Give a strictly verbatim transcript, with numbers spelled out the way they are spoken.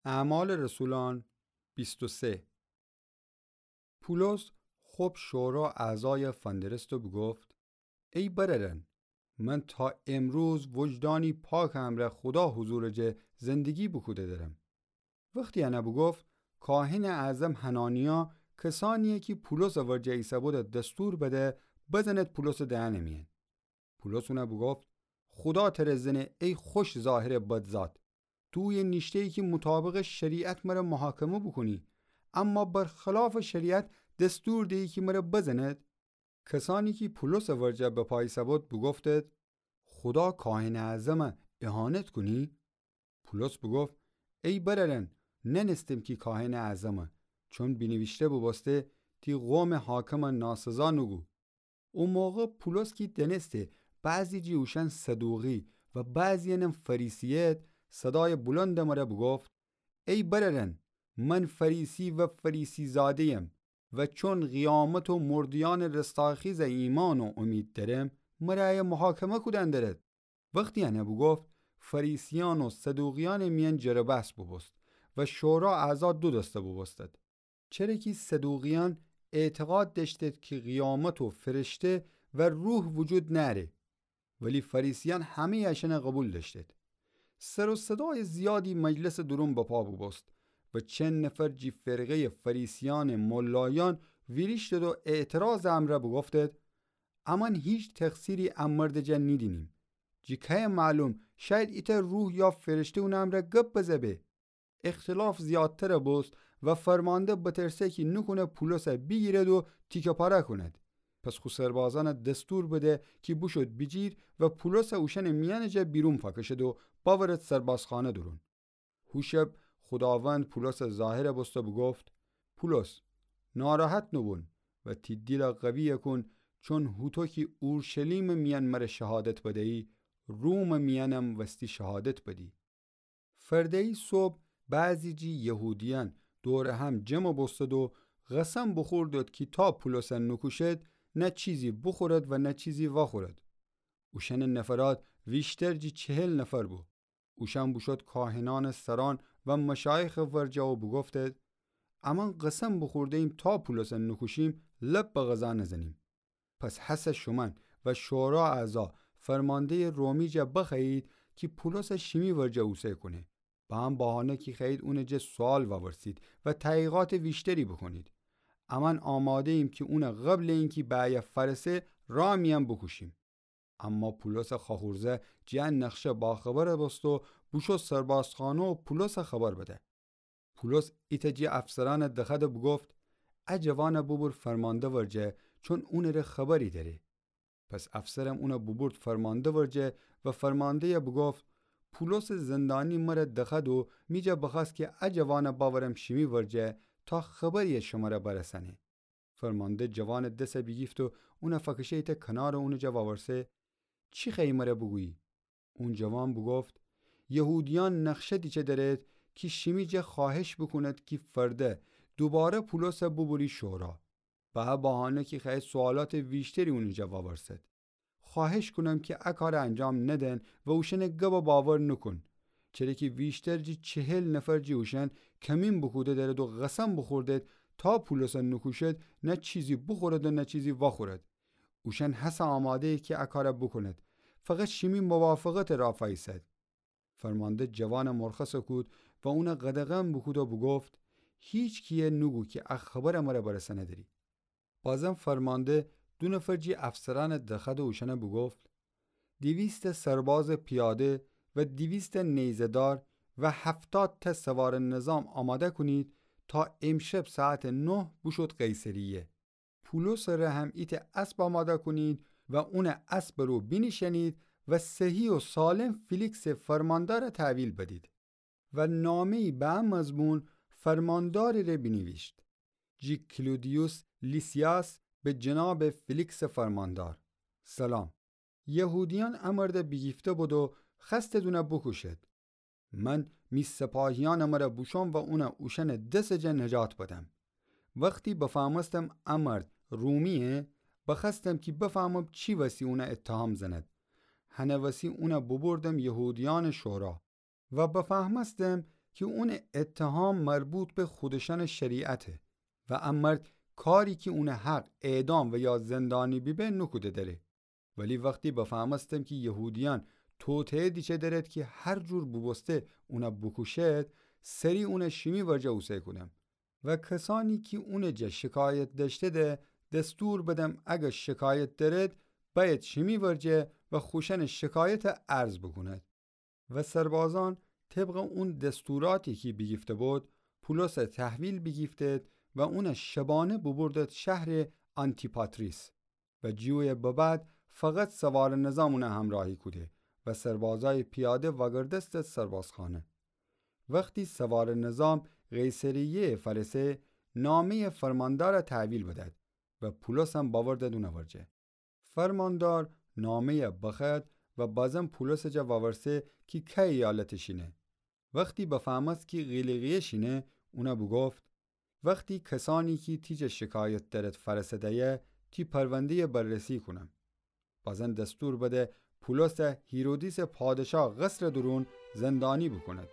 اعمال رسولان بیست و سه. پولس خب شورا اعضایَ فندرست و بوگفت: ای برأرأن، من تا امروز وجدانی پاکٚ امرأ خودا حضورٚ جا زندگی بوکوده درم. وختی انَ بوگفت، کاهنٚ اعظم حنانیا کسأنیی کی پولسٚ ورجه ایسه‌بودَ دستور بده بزند پولسٚ دهنٚ میأن. پولس اونَ بوگفت: خودا تره زنه ای خوش ظاهرٚ بدزاد! تو اویه نیشته‌یی کی مطابقٚ شریعت مره محاکمه بوکونی، اما برخلافٚ شریعت دستور دیی کی مره بزند؟ کسأنی کی پولسٚ ورجه بپا ایسه‌بود بوگفتید: خودا کاهنٚ اعظمَ اهانت کونی؟ پولس بوگفت: ای برأرأن، نأنستم کی کاهنٚ اعظمه، چون بینیویشته بوبوسته: تی قومٚ حاکمَ ناسزا نوگو. او موقع پولس کی دأنسته بعضی جٚه اوشأن صدوقی و بعضی‌یأنم فریسی‌ید، صدایٚ بلندٚ مره بوگفت: ای برأرأن، من فریسی و فریسی‌زاده‌یم و چون قیامت و مرده‌یأنٚ رستاخیزَ ایمأن و امید دأرم، مره ایه محاکمه کودن دأرد. وختی انَ بوگفت، فریسیأن و صدوقیأنٚ میأن جر و بحث بوبوست و شورا اعضا دو دسته بوبوستد. چره کی صدوقیأن اعتقاد دأشتید کی قیامت و فرشته و روح وجود نأره، ولی فریسیأن همه‌یٚ اشأنَ قوبیل دأشتید. سر و صدایٚ زیادی مجلسٚ دورون بپا بوبوست و چند نفر جٚه فرقه‌یٚ فریسیأنٚ ملایأن ویریشتید و اعتراضٚ امرأ بوگفتید: امأن هیچ تقصیری ا مردٚ جا نیدینیم. جٚه کیه معلوم، شاید ایتأ روح یا فرشته اونٚ امرأ گب بزه به. اختلاف زیادتر بوست و فرمانده بترسه کی نوکونه پولسَ بیگیرد و تیکه پاره کونید. پس خو سربازأنَ دستور بده کی بوشود بیجیر و پولسَ اوشأنٚ میأنٚ جا بیرون فأکشد و بأورد سربازخانه دورون. هو شب خوداوند پولسٚ ظاهر بوست و بوگفت: پولس، ناراحت نوبون و تی دیلَ قوی کون، چون هوطو کی اورشلیمٚ میأن مره شهادت بدیی، رومٚ میأنم وستی شهادت بدی. فرده‌یی صبح بعضی جٚه یهودیأن دورٚ هم جمع بوستد و قسم بوخوردد کی تا پولسَ نوکوشد، نه چیزی بوخورد و نه چیزی وأخورد. اوشأنٚ نفرات ویشتر جٚه چهل نفر بو. اوشأن بوشود کاهنأنٚ سرأن و مشایخٚ ورجه و بوگفتید: امأن قسم بوخورده‌ییم تا پولسَ نوکوشیم، لب به غذا نزنیم. پس هسه شومأن و شورا اعضا فرمانده‌یٚ رومی جا بخوأیید کی پولسَ شیمی ورجه اوسه کونه، به ا بهانه کی خوأیید اونٚ جا سوال وأورسید و تحقیقاتٚ ویشتری بوکونید. امأن آماده‌ییم کی اونَ قبلٚ اینکی به ایه فأرسه رأ میأن بوکوشیم. اما پولسٚ خأخورزه جٚه ا نقشه باخبر بوست و بوشو سربازخانه و پولسَ خبر بده. پولس ایتأ جٚه افسرأنَ دخوأد و بوگفت: ا جوانَ بوبور فرمانده ورجه، چون اونٚره خبری دأره. پس افسرم اونَ بوبورد فرمانده ورجه و فرمانده‌یَ بوگفت: پولسٚ زندانی مره دخوأد و می جا بخوأست کی ا جوانَ بأورم شیمی ورجه تا خبری‌یَ شمره برسأنه. فرمانده جوانٚ دسَ بیگیفت و اونَ فأکشه ایتأ کنار و اونٚ جا وأورسه: چی خوأیی مره بوگویی؟ اون جوان بوگفت: یهودیأن نقشه دیچه درید کی شیمی جا خوأهش بوکوند کی فرده دوباره پولسَ بوبوری شورا، به ا بهانه کی خوأید سوالاتٚ ویشتری اونٚ جا وأورسد. خوأهش کونم کی ا کارَ انجام ندن و اوشأنٚ گبَ باور نوکون. چره کی ویشتر جٚه چهل نفر جٚه اوشأن کمین بوکوده درید و قسم بوخوردید تا پولسَ نوکوشد، نه چیزی بوخورد و نه چیزی وأخورد. اوشأن هسه آماده‌یید کی ا کارَ بوکوند، فقط شیمی موافقتٚ رأ فأیسد. فرمانده جوانَ مرخصَ کود و اونَ قدغن بوکود و بوگفت: هیچکی‌یَ نوگو کی ا خبرَ مره برسأنه‌دری. بازم فرمانده دو نفر جٚه افسرأنَ دخوأد و اوشأنَ بوگفت: دیویست سربازٚ پیاده و دیویست نیزه‌دار و هفتاد تأ سوارٚ نظام آماده کونید تا امشب ساعتٚ نه بوشود قیصریه. پولسٚ ره هم ایتأ اسب آماده کونید و اونٚ اسبٚ رو بینیشأنید و صحیح و سالم فیلیکسٚ فرماندارَ تحویل بدید. و نامه‌یی به ا مضمون فرماندارٚ ره بینیویشت: جٚه کلودیوس لیسیاس، به جنابٚ فیلیکسٚ فرماندار، سلام. یهودیأن ا مردَ بیگیفته بودید و خوأستید اونَ بوکوشید. من می سپاهیأنٚ مره بوشوم و اونَ اوشأنٚ دسٚ جا نجات بدم. وختی بفهمستم ا مرد رومی‌یه، بخوأستم کی بفهمم چی وسی اونَ اتهام زند. هنٚ وسی اونَ بوبردم یهودیأنٚ شورا و بفهمستم کی اونٚ اتهام مربوط به خودشأنٚ شریعته و ا مرد کاری کی اونٚ حق اعدام و یا زندانی بیبه نوکوده دأره. ولی وختی بفهمستم کی یهودیأن توطئه دیچه دأرد کی هر جور بوبوسته اونَ بوکوشد، سری اونَ شیمی ورجه اوسه کودم. و کسأنی کی اونٚ جا شکایت دأشته‌ده دستور بدم اگر شکایت دأرد، بأید شیمی ورجه و خوشأنٚ شکایتَ عرض بوکوند. و سربازأن طبقٚ اون دستوراتی کی بیگیفته بود، پولسَ تحویل بیگیفتید و اونَ شبانه بوبوردید شهرٚ آنتیپاتریس. و جٚه اویه ببعد فقط سوارٚ نظام اونَ همراهی کوده و سربازأیٚ پیاده وأگردستید سربازخانه. وختی سوارٚ نظام قیصریه‌یَ فأرسه، نامه‌یٚ فرماندارَ تحویل بدید و پولسم بأوردید اونٚ ورجه. فرماندار نامه‌یَ بخوأد و بازم پولسٚ جا وأورسه کی کی ایالتٚ شینه. وختی بفهمست کی قیلیقیه شینه، اونَ بوگفت: وختی کسأنی کی تی جا شکایت دأرد فأرسده‌یه، تی پرونده‌یَ بررسی کونم. بازم دستور بده پولسَ هیرودیسٚ پادشاه قصرٚ دورون زندانی بوکوند.